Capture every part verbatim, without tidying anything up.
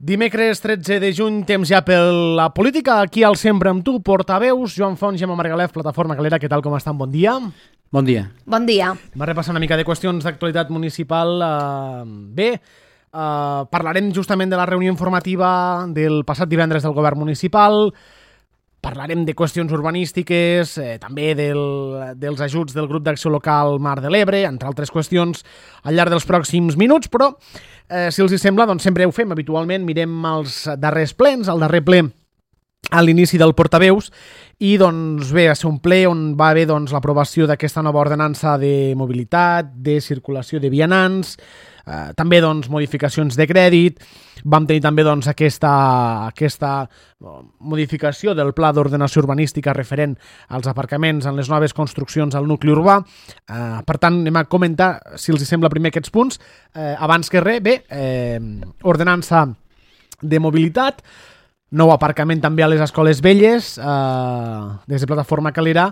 Dimecres tretze de juny, temps ja per la política, aquí al Sempre amb tu, portaveus, Joan Font, Gemma Margalef, Plataforma Calera, què tal, com estan? Bon dia. Bon dia. Bon dia. Va repassar una mica de qüestions d'actualitat municipal. Uh, bé, uh, parlarem justament de la reunió informativa del passat divendres del govern municipal, parlarem de qüestions urbanístiques, eh, també del, dels ajuts del grup d'acció local Mar de l'Ebre, entre altres qüestions al llarg dels pròxims minuts, però eh, si els hi sembla, doncs sempre ho fem habitualment, mirem els darrers plens, el darrer ple a l'inici del portaveus, i doncs bé, va ser un ple on va haver doncs, l'aprovació d'aquesta nova ordenança de mobilitat, de circulació de vianants, eh, també doncs, modificacions de crèdit. Vam tenir també doncs, aquesta, aquesta modificació del pla d'ordenació urbanística referent als aparcaments en les noves construccions al nucli urbà. Eh, per tant, anem a comentar, si els sembla primer aquests punts. Eh, abans que res, bé, eh, ordenança de mobilitat, nou aparcament també a les escoles velles, eh, des de Plataforma Calera,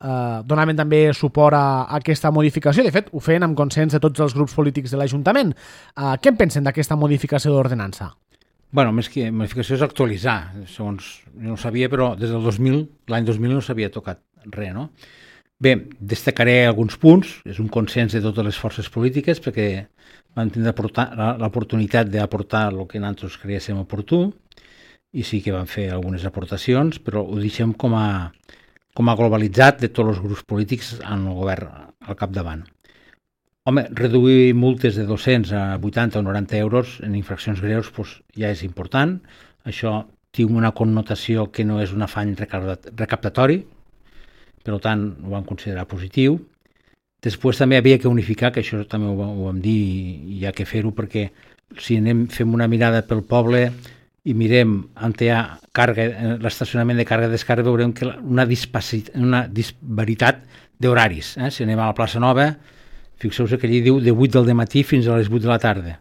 Uh, donaven també suport a, a aquesta modificació. De fet, ho feien amb consens de tots els grups polítics de l'Ajuntament. Uh, què en pensen d'aquesta modificació d'ordenança? Bueno, més que modificació és actualitzar. Segons, no ho sabia, però des del dos mil, l'any dos mil no s'havia tocat res, no? Bé, destacaré alguns punts. És un consens de totes les forces polítiques perquè vam tindre l'oportunitat d'aportar el que nosaltres creguéssim oportú i sí que vam fer algunes aportacions, però ho deixem com a com a globalitzat de tots els grups polítics en el govern al capdavant. Home, reduir multes de dos-cents a vuitanta o noranta euros en infraccions greus doncs, ja és important. Això té una connotació que no és un afany recaptatori, per tant, ho vam considerar positiu. Després també havia que unificar, que això també ho, ho vam dir i hi ha que fer-ho, perquè si anem, fem una mirada pel poble i mirem on hi ha càrrega, l'estacionament de càrrega i descàrrega, veurem que una, una disparitat d'horaris. Eh? Si anem a la plaça Nova, fixeu-vos que allí diu de vuit del matí fins a les vuit de la tarda.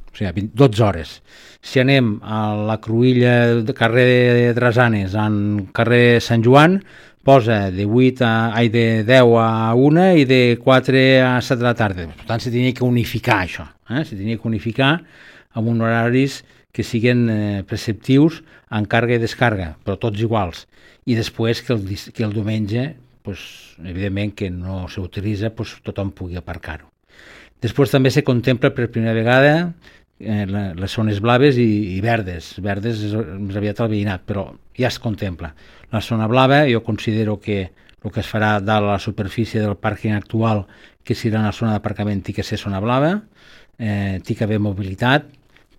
O sigui, dotze hores. Si anem a la Cruïlla de carrer de Drasanes, en carrer Sant Joan, posa de vuit a, ai, de deu a una i de quatre a set de la tarda. Per tant, se tenia que unificar això. Eh? Se tenia que unificar amb uns horaris que siguin eh, preceptius en càrrega i descàrrega, però tots iguals. I després que el, que el diumenge, pues, evidentment que no s'utilitza, pues, tothom pugui aparcar-ho. Després també se contempla per primera vegada eh, les zones blaves i, i verdes. Verdes és més aviat el veïnat, però ja es contempla. La zona blava jo considero que el que es farà dalt a la superfície del pàrquing actual, que serà una zona d'aparcament, té que ser zona blava, eh, té que haver mobilitat.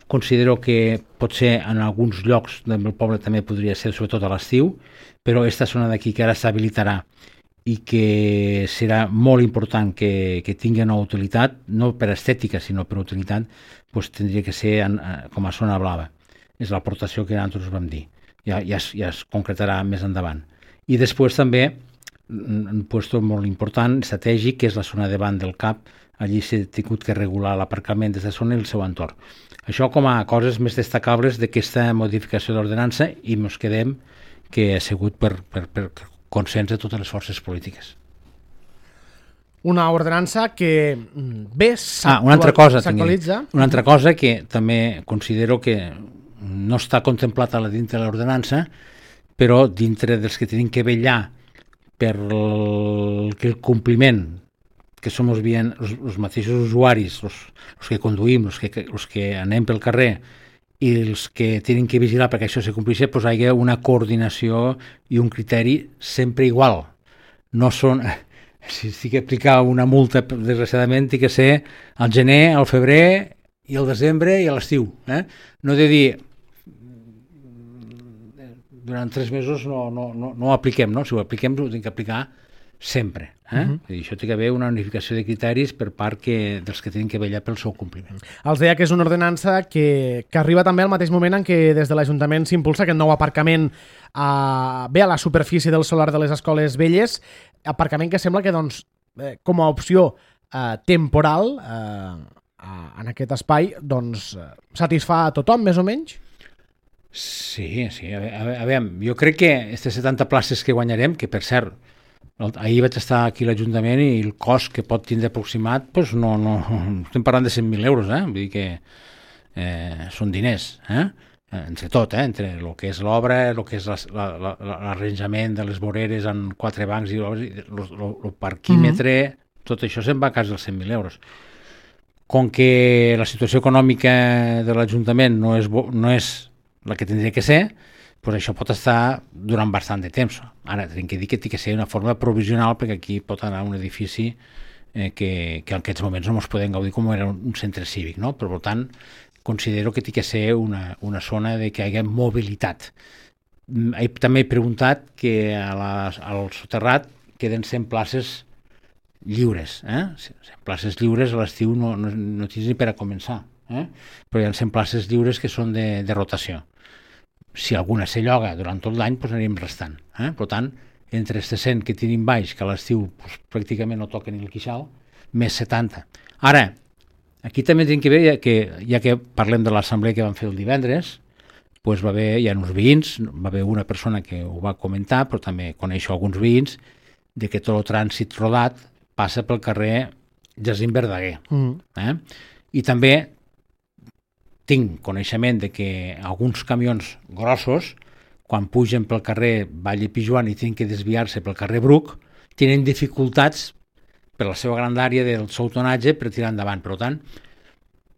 Considero que potser en alguns llocs del poble també podria ser, sobretot a l'estiu, però aquesta zona d'aquí que ara s'habilitarà i que serà molt important que, que tingui una utilitat, no per estètica sinó per utilitat, doncs tindria que ser en, com a zona blava. És l'aportació que nosaltres vam dir. Ja, ja, es, ja es concretarà més endavant. I després també un lloc molt important, estratègic, que és la zona davant del C A P. Allí s'ha tingut que regular l'aparcament des de zona i el seu entorn. Això com a coses més destacables d'aquesta modificació d'ordenança i ens quedem que ha sigut per, per, per consens de totes les forces polítiques. Una ordenança que bé ah, una altra cosa, s'actualitza. Una altra cosa que també considero que no està contemplat a la dintre de l'ordenança, però dintre dels que tenim que vetllar per el, que el compliment que som els, els mateixos usuaris, els, els que conduïm, els que, els que anem pel carrer i els que tenen que vigilar perquè això se compleixi, doncs hi ha una coordinació i un criteri sempre igual. No són, si estic a aplicar una multa, desgraciadament, té que ser al gener, al febrer i al desembre i a l'estiu. Eh? No he de dir, durant tres mesos no, no, no, no ho apliquem, no? Si ho apliquem ho hem d'aplicar sempre. Eh? Uh-huh. I això té que haver una unificació de criteris per part que, dels que tenen que vetllar pel seu compliment. Els deia que és una ordenança que, que arriba també al mateix moment en què des de l'Ajuntament s'impulsa aquest nou aparcament a, bé a la superfície del solar de les escoles velles, aparcament que sembla que doncs, eh, com a opció eh, temporal eh, en aquest espai doncs, satisfà a tothom més o menys? Sí, sí. A veure, a veure, jo crec que aquestes setanta places que guanyarem, que per cert ahir vaig estar aquí a l'Ajuntament i el cost que pot tindre aproximat, doncs no, no, estem parlant de cent mil euros, eh? Vull dir que eh, són diners, eh? entre tot, eh? entre el que és l'obra, el que és l'arranjament de les voreres en quatre bancs i el parquímetre, mm-hmm. tot això se'n va a casa dels cent mil euros. Com que la situació econòmica de l'Ajuntament no és, no és la que tindria que ser, doncs això pot estar durant bastant de temps. Ara, tinc que dir que té que ser una forma provisional, perquè aquí pot anar un edifici eh, que, que en aquests moments no ens podem gaudir com era un centre cívic, no? Però, per tant, considero que té que ser una, una zona de que hi hagi mobilitat. També he preguntat que a la, al soterrat queden cent places lliures, eh? cent places lliures a l'estiu no, no, no tens ni per a començar, eh? Però hi ha cent places lliures que són de, de rotació. Si alguna se lloga durant tot l'any, doncs anirem restant. Eh? Per tant, entre els cent que tenim baix, que a l'estiu doncs, pràcticament no toquen ni el quixal, més setanta. Ara, aquí també tenim que veure, ja que, ja que parlem de l'assemblea que vam fer el divendres, doncs va haver, hi ha uns veïns, va haver una persona que ho va comentar, però també coneixo alguns veïns, de que tot el trànsit rodat passa pel carrer Jacint Verdaguer. Mm. Eh? I també tinc coneixement de que alguns camions grossos, quan pugen pel carrer Vall i Pijuan i tenen que desviar-se pel carrer Bruc, tenen dificultats per la seva grandària del seu tonatge per tirar endavant. Per tant,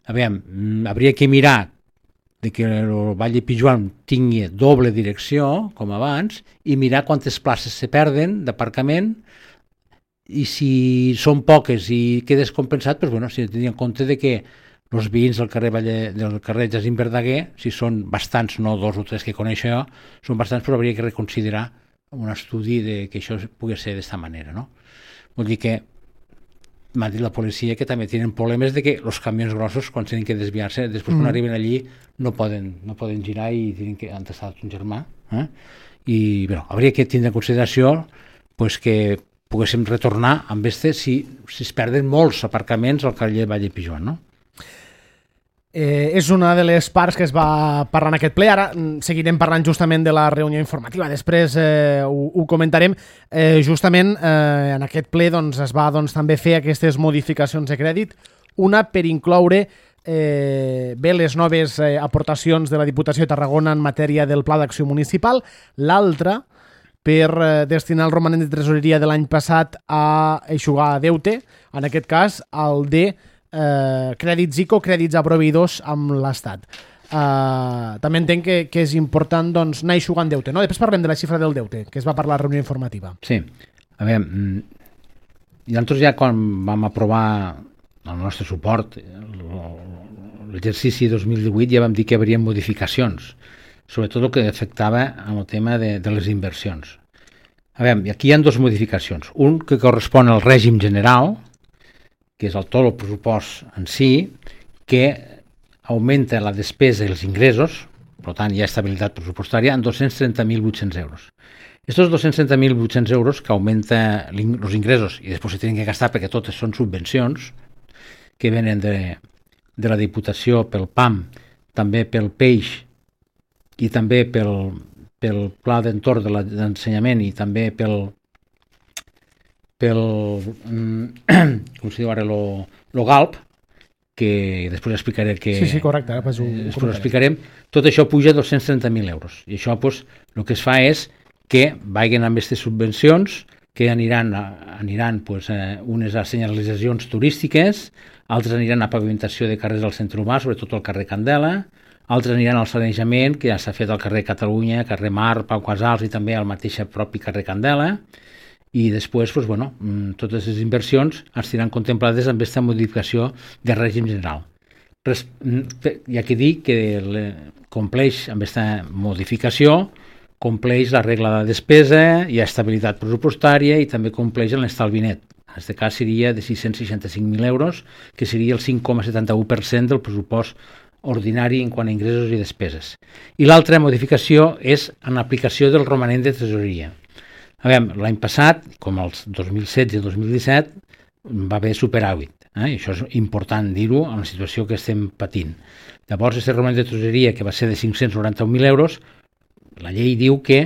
a veure, hauria que mirar de que el Vall i Pijuan tingui doble direcció, com abans, i mirar quantes places se perden d'aparcament, i si són poques i quedes compensat, doncs, bueno, si tenia en compte de que els veïns del carrer, Valle, del carrer Jacint Verdaguer, si són bastants, no dos o tres que coneixo jo, són bastants, però hauria que reconsiderar un estudi de que això pugui ser d'esta manera, no? Vull dir que m'ha dit la policia que també tenen problemes de que els camions grossos, quan tenen que desviar-se, després quan mm. arriben allí no poden, no poden girar i tenen que entestar un germà. Eh? I bé, hauria que tindre en consideració pues, que poguéssim retornar amb este si, si es perden molts aparcaments al carrer Vall i Pijuan, no? Eh, és una de les parts que es va parlar en aquest ple. Ara seguirem parlant justament de la reunió informativa, després eh, ho, ho comentarem. Eh, justament eh, en aquest ple doncs, es va doncs, també fer aquestes modificacions de crèdit, una per incloure eh, bé les noves eh, aportacions de la Diputació de Tarragona en matèria del Pla d'Acció Municipal, l'altra per eh, destinar el romanent de tresoreria de l'any passat a eixugar deute, en aquest cas el de Eh, crèdits I C O, crèdits a proveïdors amb l'Estat. Eh, també entenc que, que és important doncs, anar eixugant deute, no? Després parlem de la xifra del deute, que es va parlar a la reunió informativa. Sí, a veure, i nosaltres ja quan vam aprovar el nostre suport, l'exercici dos mil divuit, ja vam dir que hi hauria modificacions, sobretot el que afectava amb el tema de, de les inversions. A veure, aquí hi ha dues modificacions. Un que correspon al règim general, que és el tot el pressupost en si, que augmenta la despesa i els ingressos, per tant hi ha estabilitat pressupostària, en dos-cents trenta mil vuit-cents euros. Estos dos-cents trenta mil vuit-cents euros que augmenta els ingressos i després se tenen que gastar perquè totes són subvencions que venen de, de la Diputació pel P A M, també pel peix i també pel, pel Pla d'Entorn de l'Ensenyament i també pel pel, com se diu ara, lo, lo GALP, que després explicaré que... Sí, sí, correcte. Ara ho, després ho explicarem. Tot això puja a dos-cents trenta mil euros. I això, pues, el que es fa és que vagin amb aquestes subvencions, que aniran, aniran pues, eh, unes a senyalitzacions turístiques, altres aniran a pavimentació de carrers del centre urbà, sobretot al carrer Candela, altres aniran al sanejament, que ja s'ha fet al carrer Catalunya, carrer Mar, Pau Casals i també al mateix propi carrer Candela. I després, doncs, bueno, totes les inversions estaran contemplades amb aquesta modificació de règim general. Res, hi ha que dir que le, compleix amb aquesta modificació, compleix la regla de despesa, hi ha estabilitat pressupostària i també compleix l'estalvi net. En aquest cas seria de sis-cents seixanta-cinc mil euros, que seria el cinc coma setanta-u per cent del pressupost ordinari en quant a ingressos i despeses. I l'altra modificació és en l'aplicació del romanent de tresoreria. A veure, l'any passat, com els dos mil setze i dos mil disset, va haver superàvit. Eh? I això és important dir-ho en la situació que estem patint. Llavors, aquest romanent de tresoreria, que va ser de cinc-cents noranta-un mil euros, la llei diu que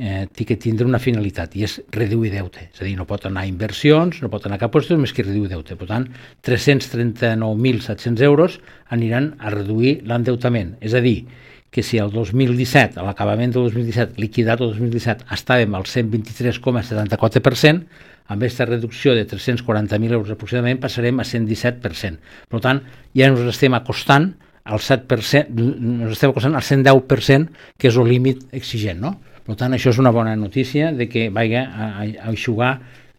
eh, té que tindre una finalitat, i és reduir deute. És a dir, no pot anar a inversions, no pot anar a cap qüestió, més que reduir deute. Per tant, tres-cents trenta-nou mil set-cents euros aniran a reduir l'endeutament. És a dir, que si el dos mil disset, a l'acabament del dos mil disset, liquidat el dos mil disset, estàvem al cent vint-i-tres coma setanta-quatre per cent, amb aquesta reducció de tres-cents quaranta mil euros aproximadament passarem a cent disset per cent. Per tant, ja ens estem acostant al set per cent, ens estem acostant al cent deu per cent, que és el límit exigent, no? Per tant, això és una bona notícia de que vagi a, a eixugar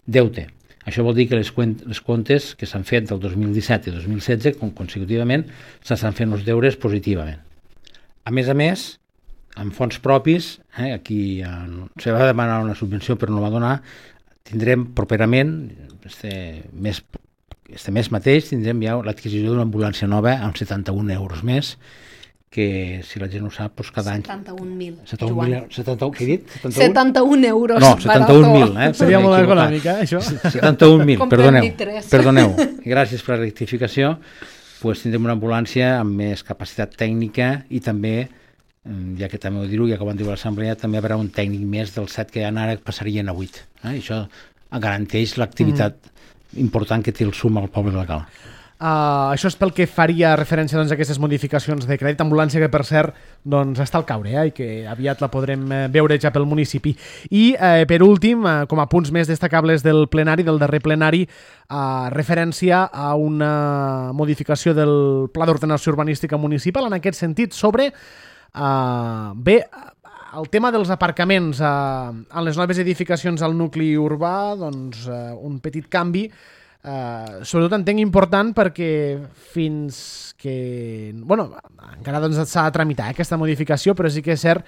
deute. Això vol dir que les, les comptes que s'han fet del dos mil disset i dos mil setze, consecutivament, s'estan fent els deures positivament. A més a més, amb fons propis, eh, aquí eh, se va demanar una subvenció però no va donar, tindrem properament, este mes, este mes mateix, tindrem ja l'adquisició d'una ambulància nova amb setanta-un euros més, que si la gent ho sap, doncs cada any... setanta-un mil, Joan. setanta-un, què he dit? setanta-un euros. No, setanta-un mil, eh? Seria molt econòmica, això. setanta-un mil, perdoneu. Perdoneu. Gràcies per la rectificació. Pues tindrem una ambulància amb més capacitat tècnica i també, ja que també ho dir-ho, ja que ho van dir a l'assemblea, també hi haurà un tècnic més del set que hi ha ara que passarien a vuit. Eh? Això garanteix l'activitat mm. important que té el S U M al poble local. Uh, això és pel que faria referència doncs, a aquestes modificacions de crèdit ambulància, que per cert doncs, està al caure eh, i que aviat la podrem veure ja pel municipi. I eh, per últim, eh, com a punts més destacables del plenari, del darrer plenari, eh, referència a una modificació del Pla d'Ordenació Urbanística Municipal en aquest sentit sobre eh, bé, el tema dels aparcaments eh, en les noves edificacions al nucli urbà, doncs eh, un petit canvi. Uh, sobretot entenc important perquè fins que... Bueno, encara doncs, s'ha de tramitar eh, aquesta modificació, però sí que és cert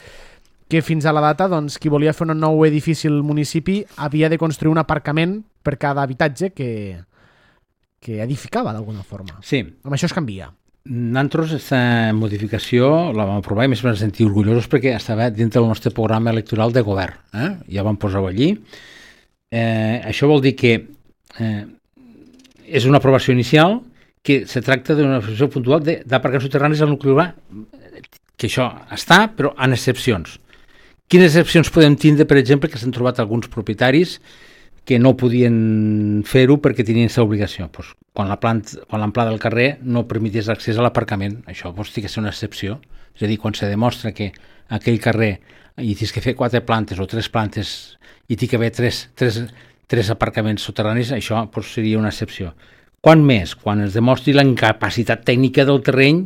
que fins a la data doncs, qui volia fer un nou edifici al municipi havia de construir un aparcament per cada habitatge que, que edificava d'alguna forma. Sí. Amb això es canvia. Nosaltres aquesta modificació la vam aprovar i més vam sentir orgullosos perquè estava dintre del nostre programa electoral de govern. Eh? Ja vam posar-ho allí. Eh, això vol dir que eh, és una aprovació inicial que se tracta d'una aprovació puntual d'aparcaments soterranis al nucli urbà, que això està, però en excepcions. Quines excepcions podem tindre, per exemple, que s'han trobat alguns propietaris que no podien fer-ho perquè tenien aquesta obligació? Pues, quan la planta, quan l'amplada del carrer no permetés l'accés a l'aparcament, això pues, té que ser una excepció. És a dir, quan se demostra que aquell carrer hi tens que fer quatre plantes o tres plantes i té que haver tres, tres, tres aparcaments soterranis, això pues, seria una excepció. Quan més? Quan es demostri la incapacitat tècnica del terreny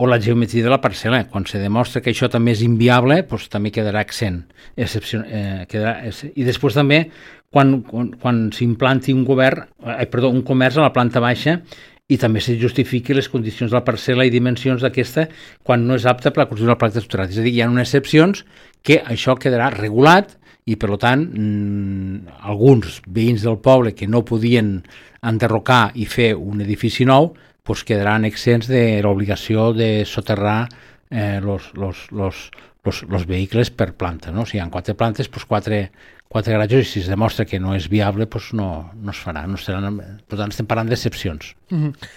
o la geometria de la parcel·la. Quan se demostra que això també és inviable, doncs també quedarà exempt. Excepció, eh, quedarà, I després també, quan, quan, quan s'implanti un govern, eh, perdó, un comerç a la planta baixa i també se justifiqui les condicions de la parcel·la i dimensions d'aquesta quan no és apta per la construcció del planta soterrat. És a dir, hi ha unes excepcions que això quedarà regulat i, per tant, mmm, alguns veïns del poble que no podien enderrocar i fer un edifici nou pues quedaran exempts de l'obligació de soterrar eh, los, los, los, los, los vehicles per planta. No? Si hi ha quatre plantes, pues quatre, quatre garatges, i si es demostra que no és viable, pues no, no es farà. No seran, per tant, estem parlant d'excepcions. Mm-hmm.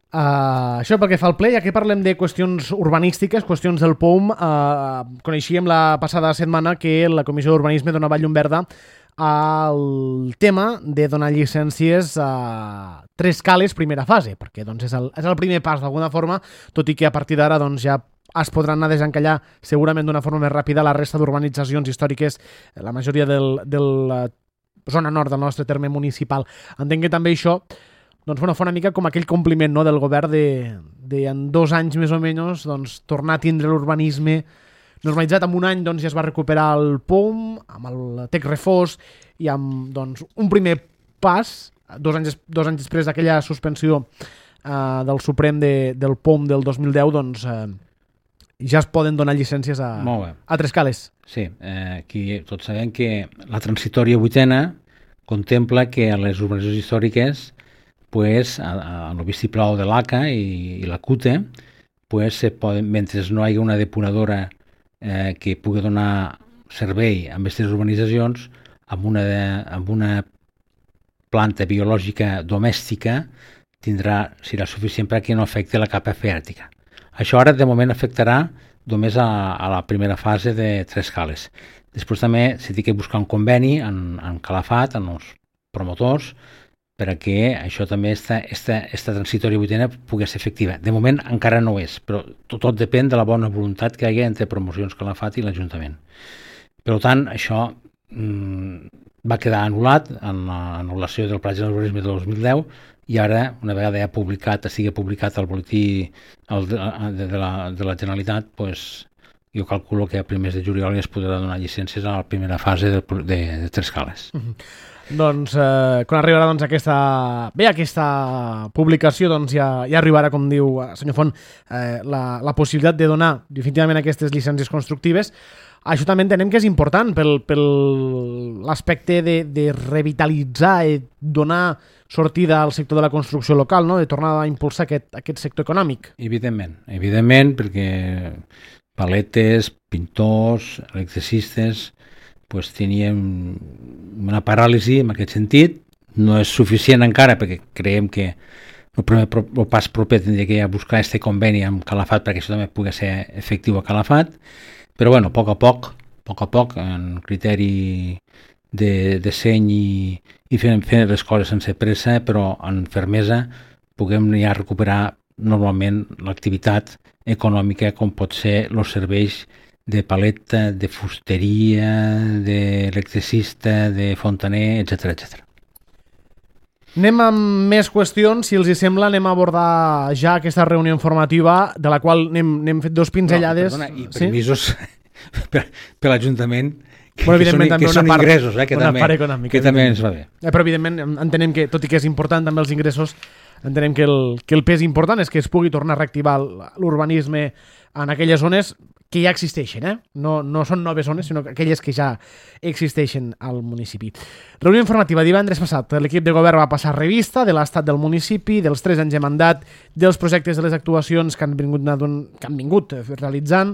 Uh, això pel que fa al ple, ja que parlem de qüestions urbanístiques, qüestions del P O U M, uh, coneixíem la passada setmana que la Comissió d'Urbanisme donava llum verda al tema de donar llicències a tres cales primera fase, perquè doncs, és, el, és el primer pas d'alguna forma, tot i que a partir d'ara doncs, ja es podran anar a desencallar segurament d'una forma més ràpida la resta d'urbanitzacions històriques, la majoria de la zona nord del nostre terme municipal. Entenc que també això doncs, bueno, fa una mica com aquell compliment no, del govern de, de en dos anys més o menys doncs, tornar a tindre l'urbanisme normalitzat. En un any doncs, ja es va recuperar el P O U M, amb el Tec Refós i amb doncs, un primer pas, dos anys, dos anys després d'aquella suspensió eh, del Suprem de, del P O U M del dos mil deu, doncs eh, ja es poden donar llicències a, a tres cales. Sí, eh, aquí tots sabem que la transitòria vuitena contempla que a les urbanitzacions històriques pues, a, a el vistiplau de l'A C A i, i la C U T E pues, se poden, mentre no hi hagi una depuradora Eh, que pugui donar servei a aquestes urbanitzacions amb una, de, amb una planta biològica domèstica tindrà, serà suficient perquè no afecti la capa freàtica. Això ara de moment afectarà només a, a la primera fase de tres cales. Després també s'ha de buscar un conveni en, en Calafat, en els promotors, perquè això també, esta, esta, esta transitòria vuitena pugui ser efectiva. De moment encara no ho és, però tot, tot depèn de la bona voluntat que hi ha entre Promocions Calafat i l'Ajuntament. Per tant, això mmm, va quedar anul·lat en l'anul·lació del Pla General d'Urbanisme de dos mil deu i ara, una vegada ja publicat, sigui publicat el boletí el de, de, de, la, de la Generalitat, pues, jo calculo que a primers de juliol ja es podrà donar llicències a la primera fase de, de, de tres cales. Mm-hmm. Doncs eh, quan arribarà doncs, aquesta... bé, aquesta publicació doncs, ja, ja arribarà, com diu el senyor Font, eh, la, la possibilitat de donar definitivament aquestes llicències constructives. Això també entenem que és important pel, pel l'aspecte de, de revitalitzar i donar sortida al sector de la construcció local, no? De tornar a impulsar aquest, aquest sector econòmic. Evidentment, evidentment, perquè paletes, pintors, electricistes, pues, tenien una paràlisi en aquest sentit. No és suficient encara perquè creiem que el primer el pas proper tindria que buscar este conveni amb Calafat perquè això també pugui ser efectiu a Calafat, però bueno, a poc a poc, a poc a poc, en criteri de, de seny i, i fent, fent les coses sense pressa, però en fermesa, puguem ja recuperar normalment l'activitat econòmica com pot ser els serveis de paleta, de fusteria, d'electricista, de fontaner, etcètera, etcètera. Anem amb més qüestions, si els hi sembla, anem a abordar ja aquesta reunió informativa, de la qual n'hem fet dos pinzellades. No, perdona, i permisos sí? per, per l'Ajuntament, que, bueno, que són, que són part, ingressos, eh, que, també, econòmica, que també ens va bé. Eh, però evidentment entenem que, tot i que és important també els ingressos, entenem que el, que el pes important és que es pugui tornar a reactivar l'urbanisme en aquelles zones que ja existeixen, eh? No, no són noves zones, sinó aquelles que ja existeixen al municipi. Reunió informativa divendres passat. L'equip de govern va passar revista de l'estat del municipi, dels tres anys de mandat, dels projectes de les actuacions que han vingut, que han vingut realitzant,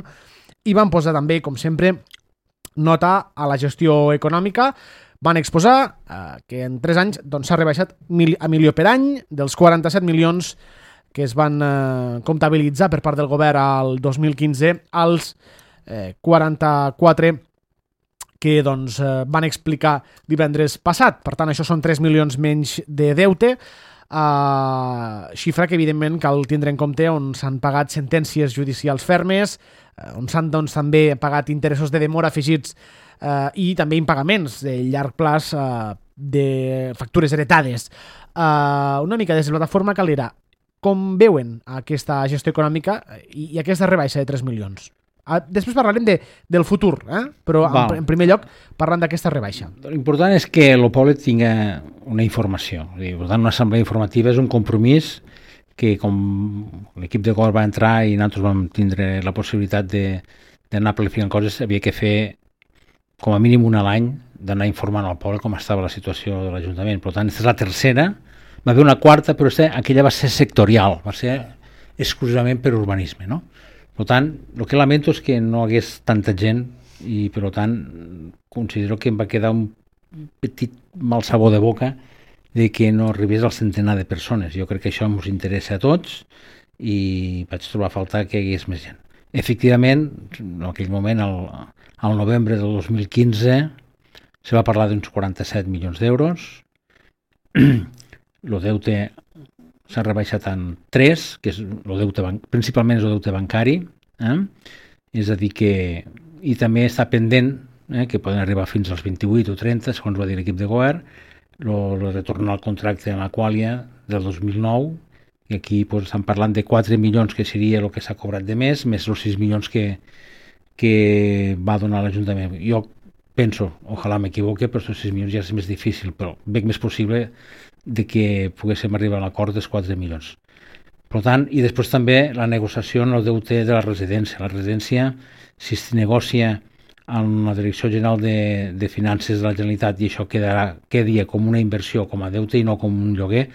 i van posar també, com sempre, nota a la gestió econòmica. Van exposar eh, que en tres anys doncs, s'ha rebaixat mil, a milió per any, dels quaranta-set milions que es van eh, comptabilitzar per part del govern al dos mil quinze als eh, quaranta-quatre que doncs, eh, van explicar divendres passat. Per tant, això són tres milions menys de deute, eh, xifra que evidentment cal tindre en compte on s'han pagat sentències judicials fermes, eh, on s'han doncs, també pagat interessos de demora afegits eh, i també impagaments de llarg plaç eh, de factures heretades. Eh, una mica des de la plataforma Calera, com veuen aquesta gestió econòmica i, i aquesta rebaixa de tres milions? Després parlarem de, del futur, eh? Però en, en primer lloc parlant d'aquesta rebaixa. L'important és que el poble tingui una informació. Per tant, una assemblea informativa és un compromís que, com l'equip de govern va entrar i nosaltres vam tindre la possibilitat d'anar planificant coses, havia que fer com a mínim un a l'any d'anar informant al poble com estava la situació de l'Ajuntament. Per tant, aquesta és la tercera. Va haver una quarta, però aquella va ser sectorial, va ser exclusivament per urbanisme, no? Per tant, el que lamento és que no hagués tanta gent i, per tant, considero que em va quedar un petit mal sabor de boca de que no arribés al centenar de persones. Jo crec que això ens interessa a tots i vaig trobar a faltar que hi hagués més gent. Efectivament, en aquell moment, al, al novembre del dos mil quinze, se va parlar d'uns quaranta-set milions d'euros. El deute s'ha rebaixat en tres, que és el deute ban- principalment és el deute bancari, eh? És a dir que i també està pendent, eh, que poden arribar fins als vint-i-vuit o trenta, segons va dir l'equip de govern, el retorn al contracte amb l'Aquàlia del dos mil nou, i aquí pues, estan parlant de quatre milions, que seria el que s'ha cobrat de més, més els sis milions que, que va donar l'Ajuntament. Jo penso, ojalà m'equivoque, però els sis milions ja és més difícil, però veig més possible de que poguéssim arribar a l'acord dels quatre milions. Per tant, i després també la negociació en el deute de la residència. La residència, si es negocia amb la Direcció General de, de Finances de la Generalitat i això quedarà, quedi com una inversió, com a deute i no com un lloguer,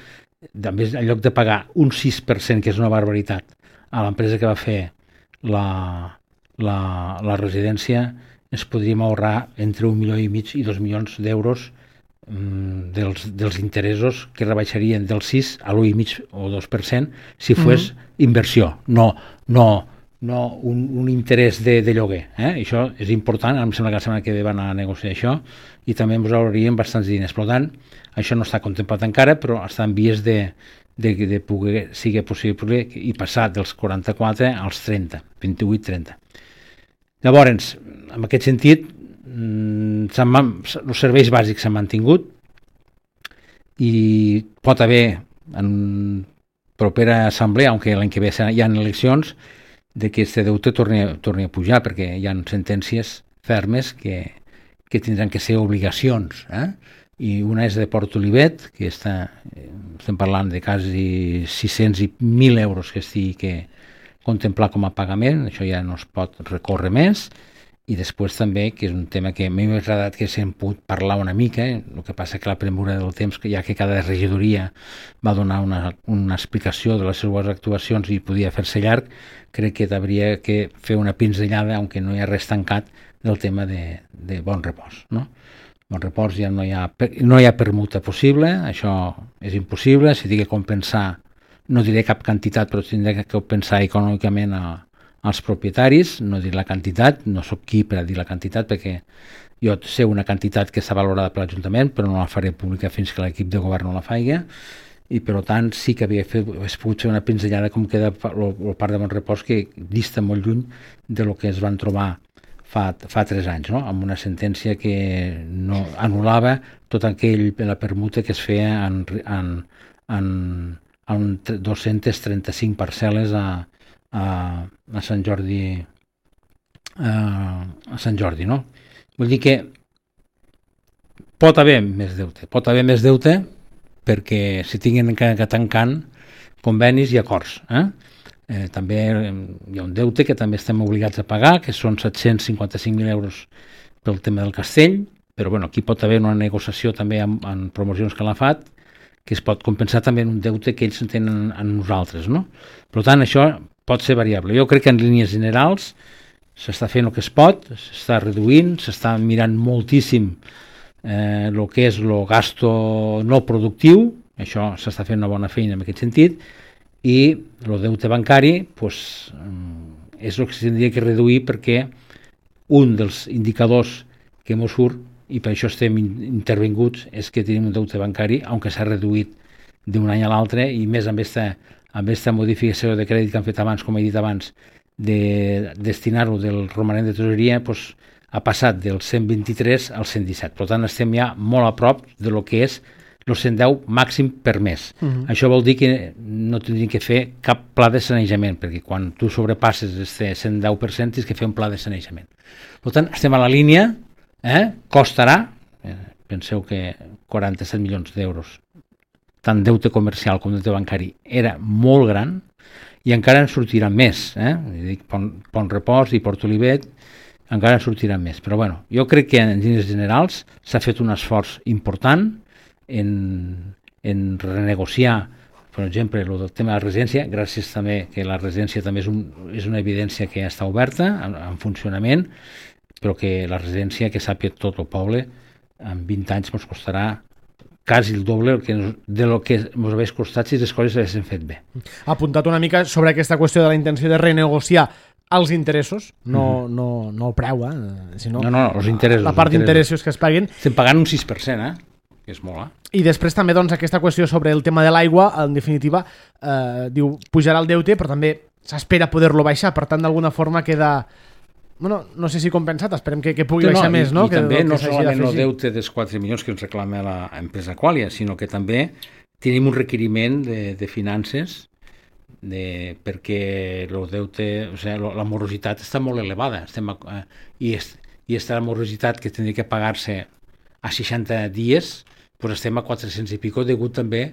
també en lloc de pagar un sis per cent, que és una barbaritat, a l'empresa que va fer la, la, la residència, ens podríem ahorrar entre un milió i mig i dos milions d'euros Dels, dels interessos que rebaixarien del sis a l'u i mig o dos per cent si fos mm-hmm. inversió, no, no no un, un interès de, de lloguer. Eh? I això és important, em sembla que la setmana que ve van a negociar això, i també ens haurien bastants diners. Per tant, això no està contemplat encara, però està en vies de, de, de poder, sigui possible, i passar dels quaranta-quatre als trenta, vint-i-vuit trenta. Llavors, en aquest sentit, els serveis bàsics s'han mantingut i pot haver en propera assemblea, aunque l'any que ve hi ha eleccions, de que este deute torni, torni a pujar, perquè hi ha sentències fermes que, que tindran que ser obligacions. Eh? I una és de Port Olivet, que està, estem parlant de quasi sis-cents i mil euros que estigui que contemplar com a pagament, això ja no es pot recórrer més. I després també, que és un tema que m'ha agradat que s'hem pogut parlar una mica, eh? El que passa que la premura del temps, que ja que cada regidoria va donar una, una explicació de les seves actuacions i podia fer-se llarg, crec que hauria que fer una pinzellada, aunque no hi ha res tancat, del tema de, de Bon Repòs. No? Bon Repòs ja no hi, ha, no hi ha permuta possible, això és impossible, si tinc que compensar, no diré cap quantitat, però tindré que compensar econòmicament a als propietaris, no dir la quantitat, no sóc qui per a dir la quantitat, perquè jo sé una quantitat que està valorada per l'Ajuntament, però no la faré pública fins que l'equip de govern no la faci, i per tant sí que havia fet, pogut fer una pinzellada com queda el parc de Bon Repòs, que dista molt lluny de lo que es van trobar fa, fa tres anys, no? Amb una sentència que no anul·lava tot aquell, la permuta que es feia en, en, en, en dos-centes trenta-cinc parcel·les a A, a Sant Jordi a, a Sant Jordi, no? Vull dir que pot haver més deute, pot haver més deute perquè si tinguin que, que tancant convenis i acords. Eh? Eh, també hi ha un deute que també estem obligats a pagar, que són set-cents cinquanta-cinc mil euros pel tema del castell, però bueno, aquí pot haver una negociació també amb, amb promocions que l'ha fet, que es pot compensar també en un deute que ells tenen en nosaltres, no? Per tant, això pot ser variable. Jo crec que en línies generals s'està fent el que es pot, s'està reduint, s'està mirant moltíssim eh, el que és el gasto no productiu, això s'està fent una bona feina en aquest sentit, i el deute bancari pues, és el que s'hauria que reduir, perquè un dels indicadors que ens surt, i per això estem intervinguts, és que tenim un deute bancari, aunque s'ha reduït d'un any a l'altre, i més amb aquesta amb aquesta modificació de crèdit que han fet abans, com he dit abans, de destinar-ho del romanent de tresoreria, doncs, ha passat del cent vint-i-tres al cent disset. Per tant, estem ja molt a prop de lo que és el cent deu màxim per mes. Uh-huh. Això vol dir que no tindríem que fer cap pla de sanejament, perquè quan tu sobrepasses este cent deu per cent tens que fer un pla de sanejament. Per tant, estem a la línia, eh? Costarà, eh, penseu que quaranta-set milions d'euros, tant deute comercial com deute bancari, era molt gran, i encara en sortiran més. Eh? Dic, Pont, Pont Repòs i Port Olivet encara en sortiran més. Però bueno, jo crec que en línies generals s'ha fet un esforç important en, en renegociar, per exemple, el del tema de la residència, gràcies també que la residència també és, un, és una evidència que està oberta, en, en funcionament, però que la residència, que sàpiga tot el poble, en vint anys ens costarà quasi el doble de lo que ens hagués costat si les coses s'haguessin fet bé. Ha apuntat una mica sobre aquesta qüestió de la intenció de renegociar els interessos, no, mm-hmm. no, no el preu, eh? Sinó no, no, els interessos, la part d'interessos que es paguen. Estem pagant un sis per cent, eh? Que és molt, eh? I després també doncs, aquesta qüestió sobre el tema de l'aigua, en definitiva, eh, diu, pujarà el deute, però també s'espera poder-lo baixar, per tant, d'alguna forma queda... Bueno, no sé si compensat, esperem que, que pugui no, baixar no, més, no? I, i que també que no solament el deute dels quatre milions que ens reclama l'empresa Qualia, sinó que també tenim un requeriment de, de finances de, perquè el deute, o sigui, la morositat està molt elevada, estem, eh, i, és, i aquesta morositat que tindria que pagar-se a seixanta dies, doncs estem a quatre-cents i pico, degut també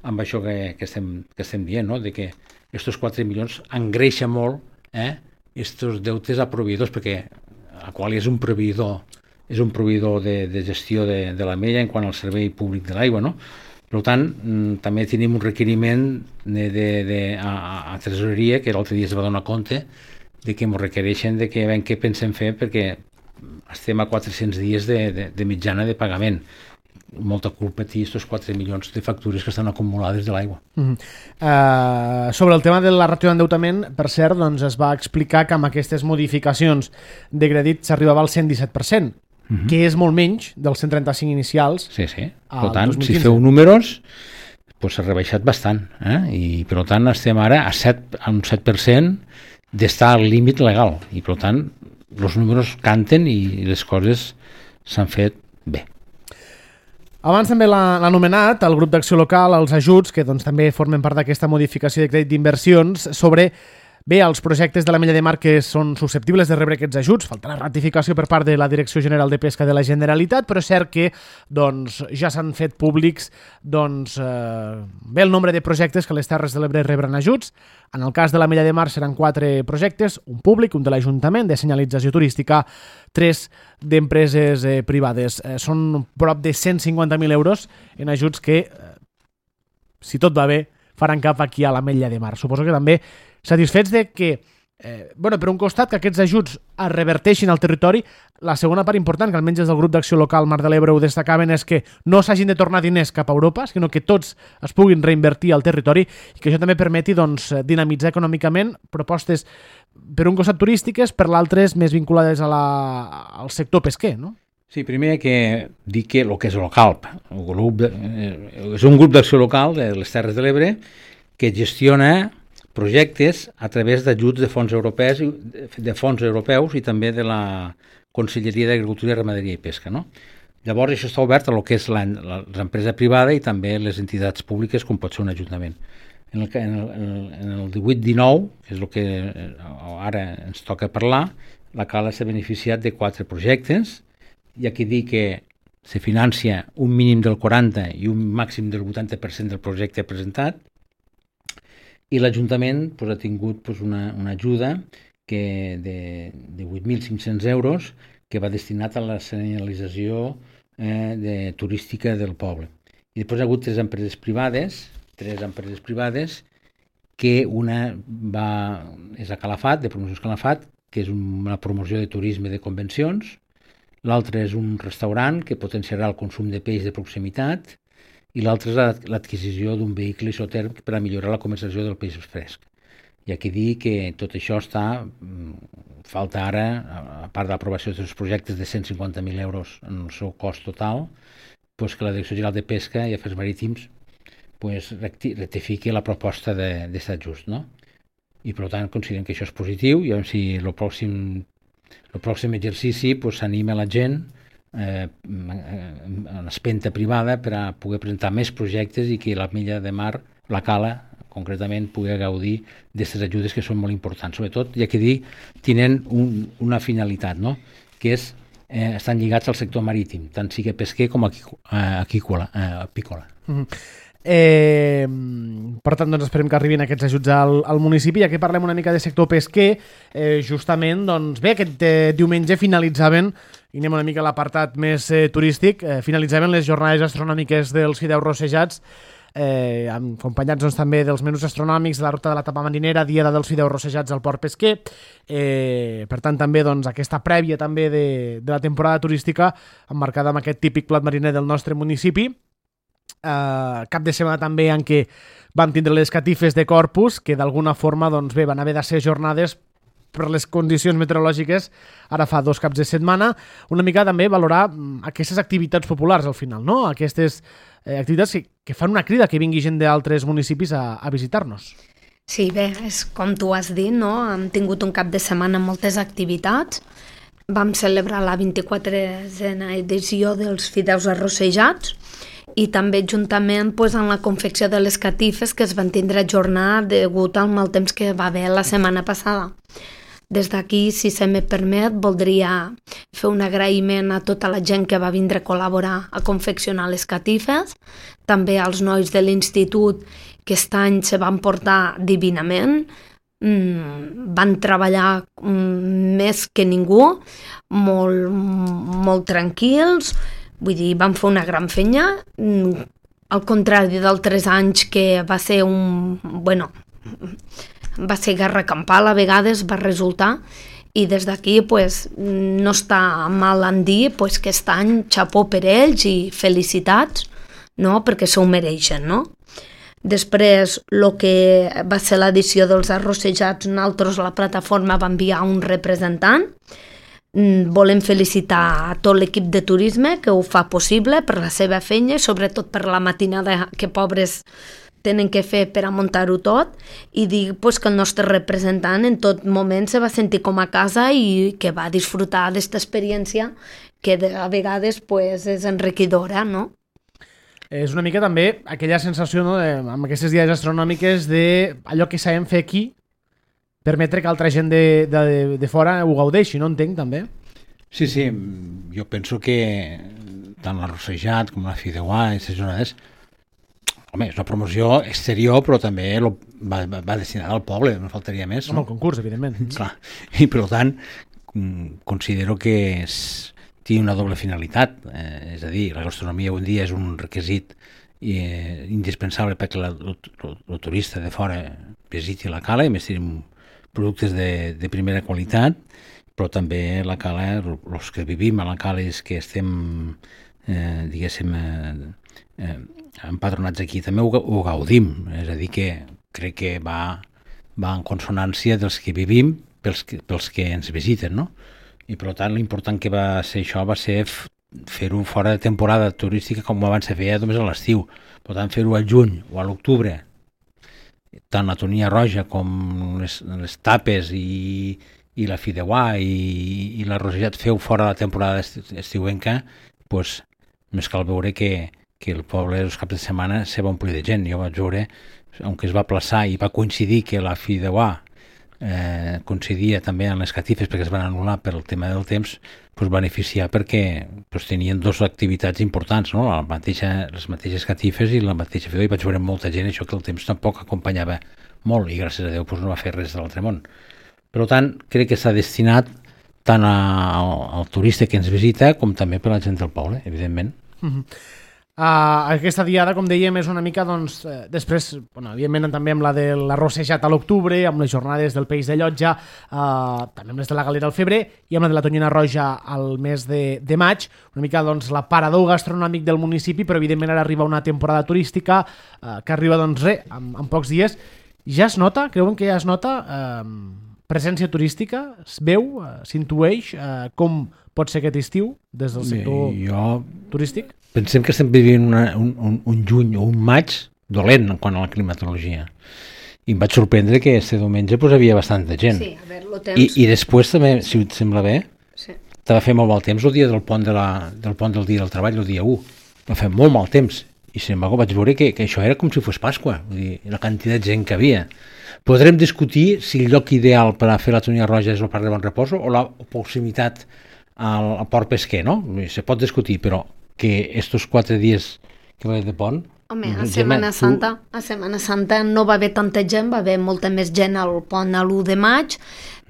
amb això que, que, estem, que estem dient, no? De que aquests quatre milions engreixa molt, eh? Estos deutes a proveïdors, perquè a qual és un proveïdor és un proveïdor de, de gestió de, de la Mella en quant al servei públic de l'aigua, no? Per tant, també tenim un requeriment de, de, de, a, a tresoreria, que l'altre dia es va donar compte de que ens requereixen de que veiem què pensem fer, perquè estem a quatre-cents dies de, de, de mitjana de pagament. molta culpa té aquests quatre milions de factures que estan acumulades de l'aigua. Mm. Uh, sobre el tema de la ràtio d'endeutament, per cert, doncs es va explicar que amb aquestes modificacions de crèdit s'arribava al cent disset per cent, mm-hmm. que és molt menys dels cent trenta-cinc inicials. Sí, sí. Per tant, si feu números, doncs s'ha rebaixat bastant. Eh? I per tant estem ara a, set, a un set per cent d'estar al límit legal. I per tant, els números canten i les coses s'han fet bé. Abans també l'ha anomenat el grup d'acció local, els ajuts, que doncs, també formen part d'aquesta modificació de crèdit d'inversions, sobre bé, els projectes de l'Ametlla de Mar que són susceptibles de rebre aquests ajuts. Falta la ratificació per part de la Direcció General de Pesca de la Generalitat, però és cert que doncs, ja s'han fet públics doncs, eh, bé el nombre de projectes que les Terres de l'Ebre rebran ajuts. En el cas de l'Ametlla de Mar seran quatre projectes, un públic, un de l'Ajuntament, de senyalització turística, tres d'empreses eh, privades. Eh, són prop de cent cinquanta mil euros en ajuts que, eh, si tot va bé, faran cap aquí a l'Ametlla de Mar. Suposo que també satisfets de que, eh, bueno, per un costat, que aquests ajuts es reverteixin al territori. La segona part important, que almenys des del grup d'acció local Mar de l'Ebre ho destacaven, és que no s'hagin de tornar diners cap a Europa, sinó que tots es puguin reinvertir al territori i que això també permeti doncs, dinamitzar econòmicament propostes, per un costat turístiques, per l'altre més vinculades a la, al sector pesquer, no? Sí, primer que dir que el que és el CALP, el grup de, eh, és un grup d'acció local de les Terres de l'Ebre que gestiona projectes a través d'ajuts de fons europeus, de fons europeus i també de la Conselleria d'Agricultura, Ramaderia i Pesca. No? Llavors això està obert a lo que és l'empresa privada i també les entitats públiques com pot ser un ajuntament. En el, en el, en el divuit dinou, que és el que ara ens toca parlar, la Cala s'ha beneficiat de quatre projectes. Hi ha qui dir que se financia un mínim del quaranta i un màxim del vuitanta per cent del projecte presentat, i l'Ajuntament pues, ha tingut pues, una, una ajuda que de, de vuit mil cinc-cents euros que va destinat a la senyalització eh, de, turística del poble. I després hi ha hagut tres empreses privades, tres empreses privades que una va, és a Calafat, de Promocions Calafat, que és una promoció de turisme de convencions, l'altre és un restaurant que potenciarà el consum de peix de proximitat, i l'altre és l'adquisició d'un vehicle isotèrmic per a millorar la comercialització del peix fresc. Hi ha qui dir que tot això està, falta ara, a part de l'aprovació dels projectes de cent cinquanta mil euros en el seu cost total, pues que la Direcció General de Pesca i Afers Marítims pues, rectifiqui la proposta d'aquest ajust. No? I per tant considerem que això és positiu i si el pròxim, el pròxim exercici s'anima pues, la gent Eh, en espenta privada per a poder presentar més projectes i que l'Ametlla de Mar, la Cala concretament, pugui gaudir d'aquestes ajudes que són molt importants, sobretot ja que dir, tenen un, una finalitat, no? Que és, eh, estan lligats al sector marítim, tant sigui pesquer com aquícola, eh, apícola. Mm-hmm. Eh, per tant, doncs esperem que arribin aquests ajuts al, al municipi. Ja que parlem una mica de sector pesquer, eh, justament, doncs bé, aquest eh, diumenge finalitzaven, i anem una mica a l'apartat més eh, turístic, eh, finalitzaven les jornades astronòmiques dels fideus rossejats, eh, acompanyats doncs, també dels menús astronòmics de la ruta de la tapa marinera, diada dels fideus rossejats al port pesquer. Eh, per tant, també doncs, aquesta prèvia també de, de la temporada turística emmarcada amb aquest típic plat mariner del nostre municipi. Uh, cap de setmana també en què van tindre les catifes de Corpus, que d'alguna forma doncs, bé, van haver de ser jornades per les condicions meteorològiques ara fa dos caps de setmana, una mica també valorar aquestes activitats populars al final, no? Aquestes eh, activitats que, que fan una crida que vingui gent d'altres municipis a, a visitar-nos. Sí, bé, és com tu has dit, no? Hem tingut un cap de setmana amb moltes activitats. Vam celebrar la vint-i-quatrena edició dels fideus arrossejats i també juntament pues, en la confecció de les catifes que es van tindre a ajornar degut al mal temps que va haver la setmana passada. Des d'aquí, si se me permet, voldria fer un agraïment a tota la gent que va vindre a col·laborar a confeccionar les catifes, també als nois de l'institut que aquest any se van portar divinament, van treballar més que ningú, molt, molt tranquils. Vull dir, vam fer una gran feina, al contrari d'altres anys que va ser un... bueno, va ser guerra campal, a vegades va resultar, i des d'aquí pues, no està mal en dir pues, que aquest any xapó per ells i felicitats, no? Perquè s'ho mereixen, no? Després, el que va ser l'edició dels arrossejats, nosaltres la plataforma va enviar un representant. Volem felicitar a tot l'equip de turisme que ho fa possible per la seva feina, sobretot per la matinada que pobres tenen que fer per a muntar-ho tot, i dir pues, que el nostre representant en tot moment se va sentir com a casa i que va disfrutar d'aquesta experiència que a vegades pues, és enriquidora, no? És una mica també aquella sensació, no, de, amb aquestes dies astronòmiques, de allò que sabem fer aquí, permetre que altra gent de, de, de fora ho gaudeixi, no entenc, també? Sí, sí, jo penso que tant l'arrossejat com la Fideuà, aquestes jornades, home, és una promoció exterior, però també lo, va, va destinada al poble, no faltaria més. Com no? el concurs, evidentment. Clar, i per tant, considero que és, té una doble finalitat, eh, és a dir, la gastronomia avui dia és un requisit eh, indispensable perquè la, el, el turista de fora visiti la cala, i més tenim productes de, de primera qualitat, però també la cala, els que vivim a la cala és que estem, eh, diguéssim, eh, eh, empadronats aquí, també ho, ho gaudim, és a dir, que crec que va, va en consonància dels que vivim pels que, pels que ens visiten, no? I per tant l'important que va ser això va ser fer-ho fora de temporada turística com abans se feia només a l'estiu. Per tant, fer-ho al juny o a l'octubre, tant la tonia roja com les, les tapes i, i la fideuà i, i l'arrossejat feu fora de la temporada estiuenca, doncs més cal veure que, que el poble els caps de setmana se va omplir de gent. Jo vaig veure, aunque es va aplaçar i va coincidir que la fideuà Eh, coincidia també en les catifes perquè es van anul·lar per el tema del temps, pues, beneficiar perquè pues, tenien dues activitats importants, no? la mateixa, les mateixes catifes i la mateixa fideuà, i vaig veure molta gent això que el temps tampoc acompanyava molt i gràcies a Déu pues, no va fer res de l'altre món. Per tant, crec que està destinat tant a, al, al turista que ens visita com també per a la gent del poble, evidentment. Mm-hmm. Uh, aquesta diada, com dèiem, és una mica, doncs, eh, després, bueno, evidentment també amb la de l'arrossejat a l'octubre, amb les jornades del Peix de Llotja, uh, també amb les de la Galera al febrer i amb la de la Tonyina Roja al mes de, de maig, una mica, doncs, l'aparador gastronòmic del municipi, però evidentment ara arriba una temporada turística uh, que arriba, doncs, res, en, en pocs dies. Ja es nota, creuen que ja es nota uh, presència turística? Es veu, uh, s'intueix uh, com pot ser aquest estiu des del sector Bé, jo... turístic? Pensem que estem vivint una, un, un, un juny o un maig dolent en quant a la climatologia. I em vaig sorprendre que este diumenge pues, havia bastanta gent. Sí, a veure, lo temps... I, I després també, si et sembla bé, sí. va fer molt mal temps el dia del pont, de la, del pont del dia del treball, el dia u. Va fer molt mal temps. I sin embargo vaig veure que, que això era com si fos Pasqua, vull dir, la quantitat de gent que havia. Podrem discutir si el lloc ideal per a fer la Tonia Roja és el Parc de Bon Reposo o la proximitat al, al Port Pesquer, no? Se pot discutir, però que estos quatre dies que va de pont... Home, a Setmana Santa, a Setmana Santa no va haver tanta gent, va haver molta més gent al pont a l'u de maig,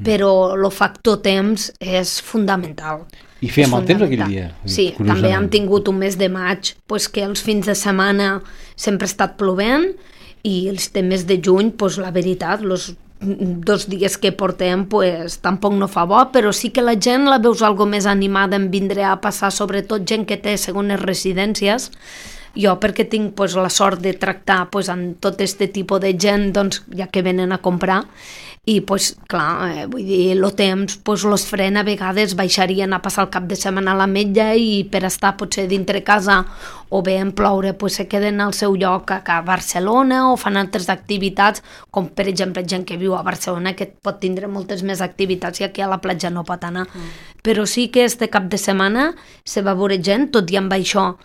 però el factor temps és fundamental. I feia mal temps aquell dia. Sí, també hem tingut un mes de maig, pues, que els fins de setmana sempre ha estat plovent, i els de mes de juny, pues, la veritat, els dos dies que portem pues, tampoc no fa bo, però sí que la gent la veus algo més animada en vindre a passar, sobretot gent que té segones residències. Jo, perquè tinc pues, la sort de tractar pues, amb tot aquest tipus de gent, doncs, ja que venen a comprar, i pues, clar, eh, vull dir, el temps pues, los frena, a vegades baixarien a passar el cap de setmana a la metlla i per estar potser dintre casa o bé en ploure pues, se queden al seu lloc a Barcelona o fan altres activitats, com per exemple gent que viu a Barcelona que pot tindre moltes més activitats i aquí a la platja no pot anar. Mm. Però sí que este cap de setmana se va veure gent, tot i amb això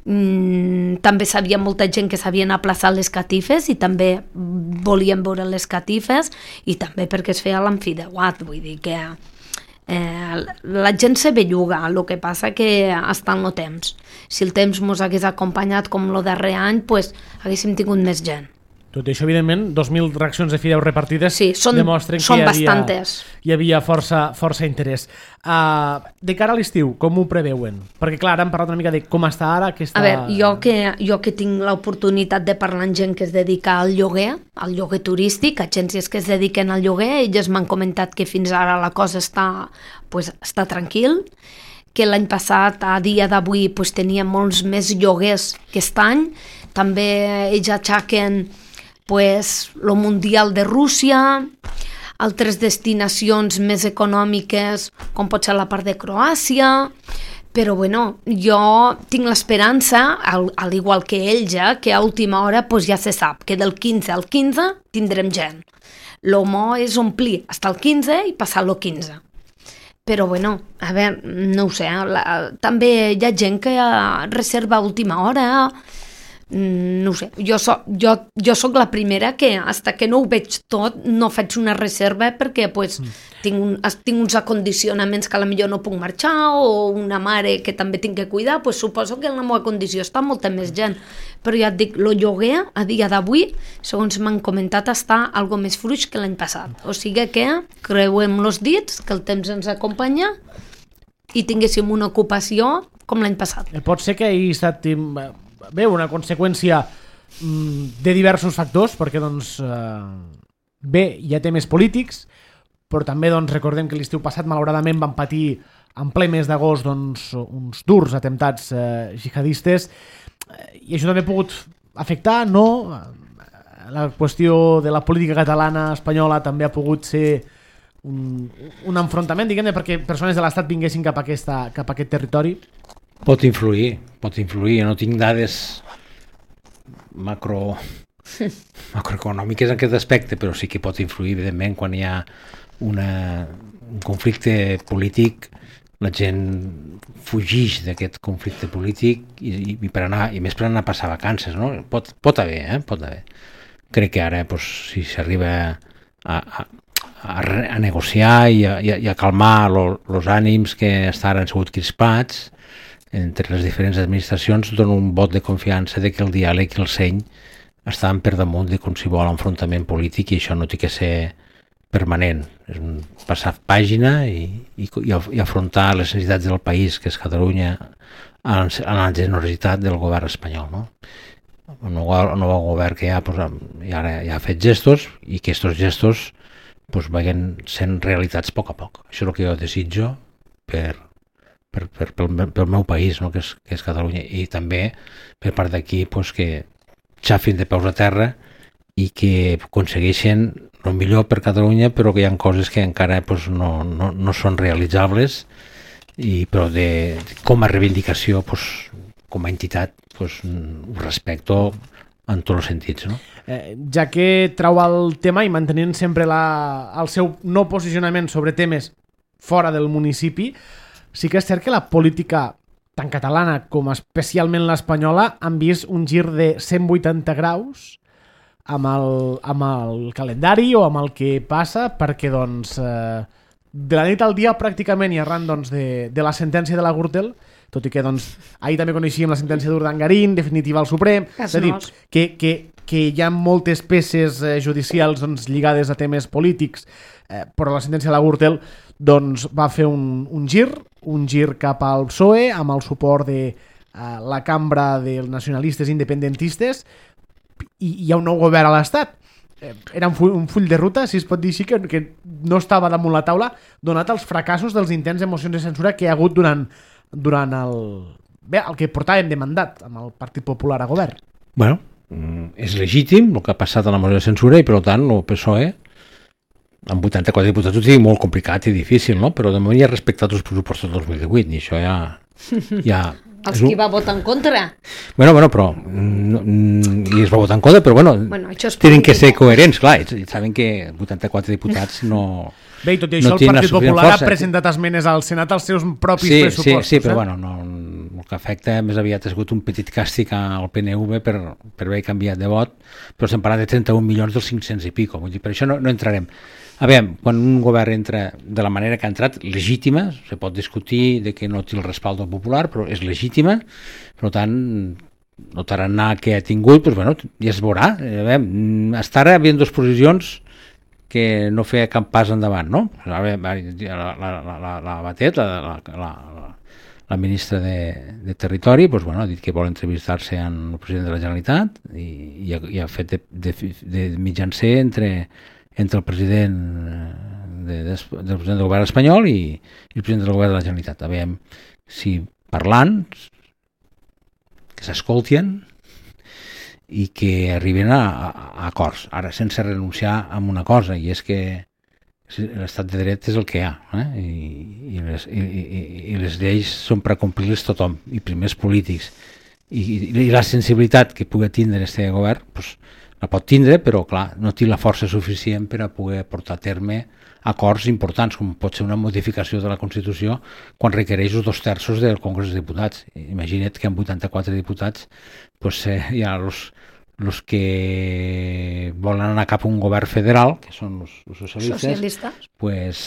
Mm, també sabia molta gent que s'havien aplaçat les catifes i també volien veure les catifes i també perquè es feia l'amfideuat, vull dir que eh, la gent se belluga, el que passa que està en el temps. Si el temps mos hagués acompanyat com el darrer any, pues, haguéssim tingut més gent. Tot i això, evidentment, dos mil racions de fideus repartides sí, són, demostren són que hi havia, bastantes. hi havia força, força interès. Uh, de cara a l'estiu, com ho preveuen? Perquè, clar, ara hem parlat una mica de com està ara aquesta... A veure, jo que, jo que tinc l'oportunitat de parlar amb gent que es dedica al lloguer, al lloguer turístic, agències que es dediquen al lloguer, ells m'han comentat que fins ara la cosa està, pues, està tranquil, que l'any passat, a dia d'avui, pues, tenia molts més lloguers que aquest any. També ells aixequen pues, lo Mundial de Rússia, altres destinacions més econòmiques, com pot ser la part de Croàcia, però bueno, jo tinc l'esperança, al, al igual que ells, eh, que a última hora pues, ja se sap que del quinze al quinze tindrem gent. Lo mo és omplir fins al quinze i passar lo quinze. Però bueno, a veure, no ho sé, la, també hi ha gent que reserva a última hora, no ho sé, jo soc, jo, jo soc la primera que hasta que no ho veig tot no faig una reserva perquè pues, mm. tinc, un, tinc uns acondicionaments que a la millor no puc marxar o una mare que també tinc que cuidar, pues, suposo que en la meva condició està molta més gent, però ja et dic, el lloguer a dia d'avui, segons m'han comentat, està algo més fluix que l'any passat, o sigui que creuem els dits, que el temps ens acompanya i tinguéssim una ocupació com l'any passat. Pot ser que hi estat bé, una conseqüència de diversos factors, perquè doncs, eh, bé, hi ha temes polítics, però també doncs, recordem que l'estiu passat malauradament van patir en ple mes d'agost doncs, uns durs atemptats eh, jihadistes, i això també ha pogut afectar, no? La qüestió de la política catalana, espanyola, també ha pogut ser un, un enfrontament, diguem-ne, perquè persones de l'Estat vinguessin cap a, aquesta, cap a aquest territori. Pot influir, pot influir. Jo no tinc dades macro, macroeconòmiques en aquest aspecte, però sí que pot influir, evidentment, quan hi ha una, un conflicte polític, la gent fugix d'aquest conflicte polític i, i, per anar, i més per anar a passar vacances, no? Pot, pot haver, eh? Pot haver. Crec que ara, doncs, si s'arriba a, a, a, a negociar i a, i a calmar els ànims que estan han sigut crispats entre les diferents administracions, dona un vot de confiança de que el diàleg i el seny estan per damunt de qualsevol enfrontament polític, i això no té que ser permanent. És un passar pàgina i, i, i afrontar les necessitats del país, que és Catalunya, a la generositat del govern espanyol, no? El nou, el nou govern que hi ha, pues, ja, ja ha fet gestos, i que aquests gestos pues, vagin sent realitats a poc a poc. Això és el que jo desitjo per Per, per, pel, pel meu país, no? que, és, que és Catalunya, i també per part d'aquí pues, que xafin de peus a terra i que aconsegueixen el millor per Catalunya, però que hi ha coses que encara pues, no, no, no són realitzables, i, però de, de, com a reivindicació, pues, com a entitat, pues, ho respecto en tots els sentits. No? Eh, ja que trau el tema i mantenint sempre la, el seu no posicionament sobre temes fora del municipi, sí que és cert que la política tant catalana com especialment l'espanyola han vist un gir de cent vuitanta graus amb el, amb el calendari o amb el que passa, perquè doncs, eh, de la nit al dia pràcticament, i arran doncs, de, de la sentència de la Gürtel, tot i que doncs, ahir també coneixíem la sentència d'Urdangarín, definitiva al Suprem, és a dir, que, que, que hi ha moltes peces eh, judicials doncs, lligades a temes polítics, eh, però la sentència de la Gürtel doncs, va fer un, un gir, un gir cap al P S O E, amb el suport de uh, la cambra dels nacionalistes independentistes, i hi ha un nou govern a l'Estat. Eh, era un full, un full de ruta, si es pot dir així, que, que no estava damunt la taula, donat els fracassos dels intents de mocions de censura que hi ha hagut durant, durant el, bé, el que portàvem de mandat amb el Partit Popular a govern. Bueno, és legítim el que ha passat a la moció de censura, i per tant el P S O E amb vuitanta-quatre diputats ho sigui molt complicat i difícil, no? Però de moment ja ha respectat els pressupostos del dos mil divuit, i això ja... ja els qui va votar en contra. Bueno, bueno, però... No, i es va votar en contra, però bueno, bueno tenen que ser coherents, clar, i saben que vuitanta-quatre diputats no... Bé, i tot i això, no el Partit Popular força. ha presentat esmenes al Senat als seus propis sí, pressupostos. Sí, sí, però eh? bueno, no, el que afecta més aviat ha sigut un petit càstig al P N V per, per haver canviat de vot, però estem parlant de trenta-un milions dels cinc-cents i pico, vull dir, per això no, no entrarem. A veure, quan un govern entra de la manera que ha entrat, legítima, se pot discutir de que no té el respaldo popular, però és legítima, per tant, el tarannà que ha tingut, doncs, bueno, ja es veurà. Estar ara havien dues posicions que no feia cap pas endavant, no? La, la, la, la, la Batet, la, la, la, la ministra de, de Territori, doncs, bueno, ha dit que vol entrevistar-se amb el president de la Generalitat i, i, ha, i ha fet de, de, de mitjancer entre, entre el president de, de, del president del govern espanyol i, i el president del govern de la Generalitat. A veure si parlant, que s'escoltien i que arriben a, a, a acords. Ara, sense renunciar a una cosa, i és que l'estat de dret és el que hi ha, eh? I, i, les, i, i, i les lleis són per complir-les tothom, i primers polítics. I, i, i la sensibilitat que pugui tindre este govern, pues, la pot tindre, però clar, no té la força suficient per a poder portar a terme acords importants, com pot ser una modificació de la Constitució quan requereix els dos terços del Congrés dels Diputats. Imagina't que amb vuitanta-quatre diputats pues, eh, hi ha els, els que volen anar cap a un govern federal, que són els, els socialistes, socialistes, pues,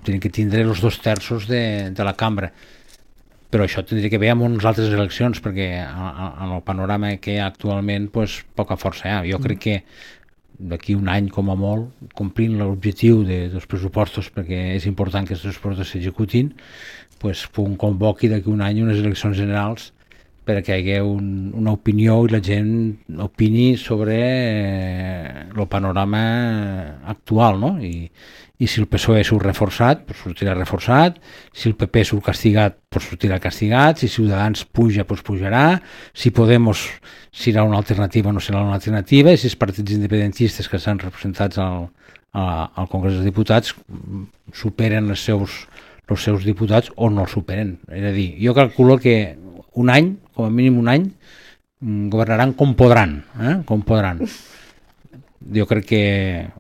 tenen que tindre els dos terços de, de la cambra. Però això tindria que veure amb unes altres eleccions, perquè en el panorama que hi ha actualment pues, poca força hi ha. Jo crec que d'aquí un any com a molt, complint l'objectiu de, dels pressupostos, perquè és important que els pressupostos s'executin, pues, un convoqui d'aquí un any unes eleccions generals perquè hi hagi un, una opinió i la gent opini sobre eh, el panorama actual, no? I, i si el P S O E surt reforçat, pues sortirà reforçat, si el P P surt castigat, pues sortirà castigat, si Ciutadans puja, pues pujarà, si Podemos serà una alternativa o no serà una alternativa, i si els partits independentistes que s'han representats al, a, al Congrés dels Diputats superen els seus, els seus diputats o no els superen. És a dir, jo calculo que un any, com a mínim un any, governaran com podran, eh? com podran. Jo crec que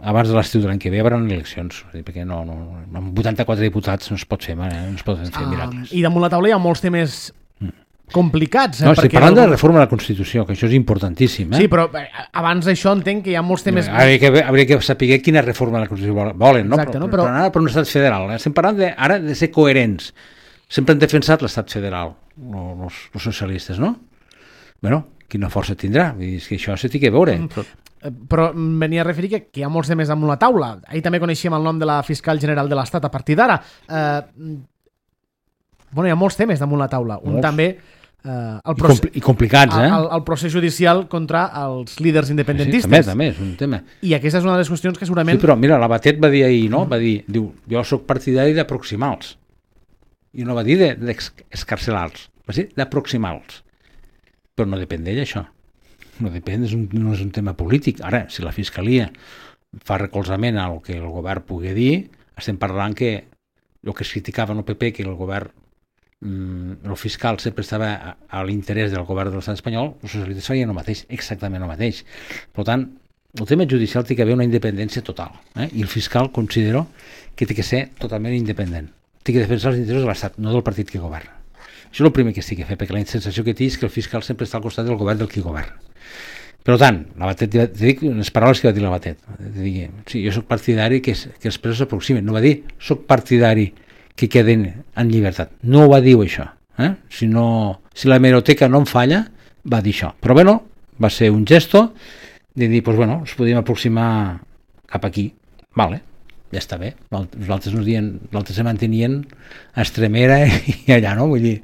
abans de l'estiu de l'any que ve hi haurà eleccions, perquè no, no, amb vuitanta-quatre diputats no es pot fer, eh? no es poden fer miracles. Uh, I damunt la taula hi ha molts temes complicats. Eh? No, estic parlant de la reforma de la Constitució, que això és importantíssim. Eh? Sí, però abans d'això entenc que hi ha molts temes... Hauria que, hauria que saber quina reforma de la Constitució volen, no? Exacte, però, no? Però... però anar per un estat federal. Eh? Estem parlant de, ara de ser coherents. Sempre han defensat l'estat federal, els, els socialistes, no? Bueno, quina força tindrà? És que això se té que veure. Mm. Però... però venia a referir que, que hi ha molts temes damunt la taula. Ahir també coneixíem el nom de la fiscal general de l'Estat a partir d'ara. Eh, bueno, hi ha molts temes damunt la taula. Un molts. també... Eh, el I, compl I complicats, eh? El, el procés judicial contra els líders independentistes. Sí, sí, també, també, és un tema. I aquesta és una de les qüestions que segurament... Sí, però mira, la Batet va dir ahir, no? Va dir, diu, jo soc partidari d'aproximar-los. I no va dir d'escarcelar-los, va dir d'aproximar-los. Però no depèn d'ell, això. No depèn, és un, no és un tema polític. Ara, si la Fiscalia fa recolzament al que el govern pugui dir, estem parlant que el que es criticava en el P P, que el govern, mm, el fiscal sempre estava a, a l'interès del govern de l'estat espanyol, els socialistes feien el mateix, exactament el mateix. Per tant, el tema judicial té que haver una independència total, eh? I el fiscal considero que té que ser totalment independent. Té que defensar els interessos de l'estat, no del partit que governa. Això és el primer que es té que fer, perquè la sensació que té és que el fiscal sempre està al costat del govern del qui governa. Per tant, la Batet, te dic les paraules que va dir la Batet. Dir, sí, jo soc partidari que, es, que els presos s'aproximen. No va dir, soc partidari que queden en llibertat. No ho va dir això. Eh? Si, no, si la hemeroteca no em falla, va dir això. Però bueno, va ser un gesto de dir, pues bueno, ens podíem aproximar cap aquí. Vale, ja està bé. Nosaltres nos dient, nosaltres se mantenien a Extremera i allà, no? Vull dir,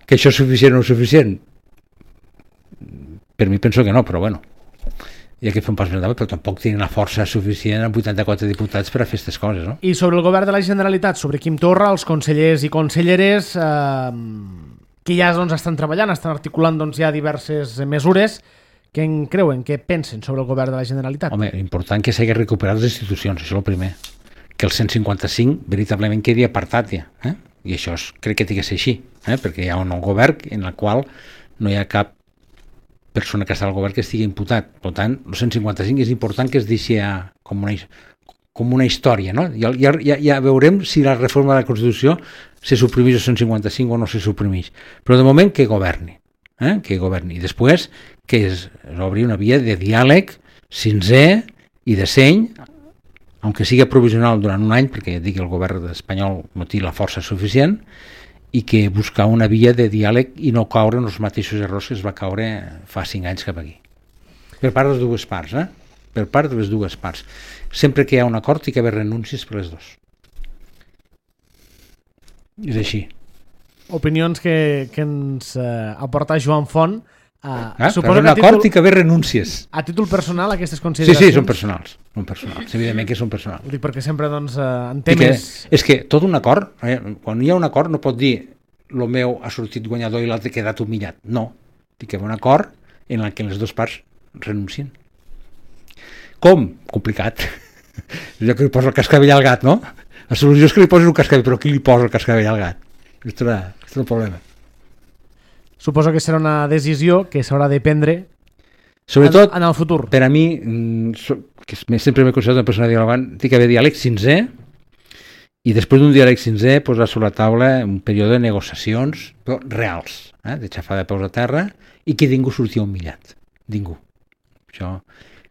que això és suficient o no és suficient? Per mi penso que no, però bueno, hi ha que fer un pas més endavant, però tampoc tenen la força suficient amb vuitanta-quatre diputats per a fer aquestes coses, no? I sobre el govern de la Generalitat, sobre Quim Torra, els consellers i conselleres eh, que ja doncs, estan treballant, estan articulant doncs, ja diverses mesures, què en creuen, què pensen sobre el govern de la Generalitat? Home, important que s'hagi recuperat les institucions, això és el primer. Que el cent cinquanta-cinc veritablement quedi apartat ja, eh? I això és, crec que té que ser així, eh? Perquè hi ha un nou govern en el qual no hi ha cap persona que està al govern que estigui imputat. Per tant, el cent cinquanta-cinc és important que es deixi com una, com una història, no? Ja, ja, ja veurem si la reforma de la Constitució se suprimeix el cent cinquanta-cinc o no se suprimeix. Però de moment que governi, eh? Que governi. I després que es, es obri una via de diàleg sincer i de seny, aunque sigui provisional durant un any, perquè ja dic que el govern espanyol no té la força suficient, i que buscar una via de diàleg i no caure en els mateixos errors que es va caure fa cinc anys cap aquí. Per part de les dues parts, eh? Per part de les dues parts. Sempre que hi ha un acord hi ha que haver renúncies per les dues. És així. Opinions que, que ens eh, aporta Joan Font. Eh, ah, per un acord hi ha que haver renúncies. A títol personal, aquestes Sí, consideracions? sí, són personals. Són personals. Evidentment que són personals. Ho dic perquè sempre doncs, eh, en Que, temes... és que tot un acord, eh, quan hi ha un acord no pot dir el meu ha sortit guanyador i l'altre ha quedat humillat. No. Hi ha que haver un acord en el que les dues parts renuncien. Com? Complicat. Jo que li poso el cascavell al gat, no? La solució és que li posis un cascavell, però qui li posa el cascavell al gat? Aquest és el problema. Suposo que serà una decisió que s'haurà de prendre Sobretot, en, en el futur. Per a mi, que sempre m'he considerat una persona dialogant, té que haver diàleg sincer i després d'un diàleg sincer posar sobre la taula un període de negociacions però reals, eh? De xafar de peus a terra i que ningú sortia humillat. Ningú. Això,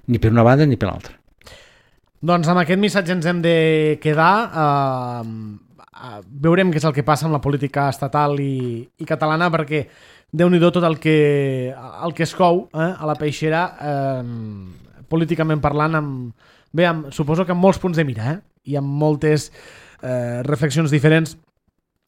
ni per una banda ni per l'altra. Doncs amb aquest missatge ens hem de quedar. Uh, veurem què és el que passa amb la política estatal i, i catalana, perquè déu-n'hi-do tot el que, el que es cou eh, a la peixera, eh, políticament parlant, amb, bé, amb, suposo que amb molts punts de mira eh, i amb moltes eh, reflexions diferents.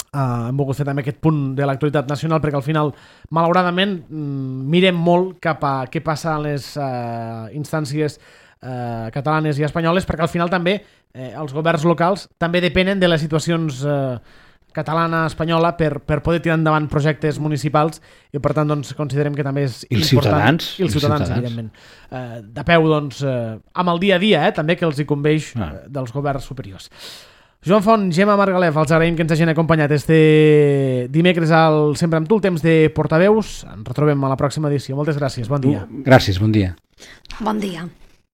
Uh, hem volgut fer també aquest punt de l'actualitat nacional perquè al final, malauradament, mirem molt cap a què passa a les uh, instàncies uh, catalanes i espanyoles, perquè al final també eh, els governs locals també depenen de les situacions uh, catalana, espanyola, per, per poder tirar endavant projectes municipals i per tant doncs, considerem que també és I els important. Ciutadans, I els ciutadans, ciutadans. evidentment. Uh, de peu, doncs, uh, amb el dia a dia, eh, també que els hi conveix ah. uh, dels governs superiors. Joan Font, Gemma Margalef, els agraïm que ens hagin acompanyat este dimecres al Sempre amb tu, el temps de portaveus. Ens retrobem a la pròxima edició. Moltes gràcies, bon dia. Gràcies, bon dia. Bon dia.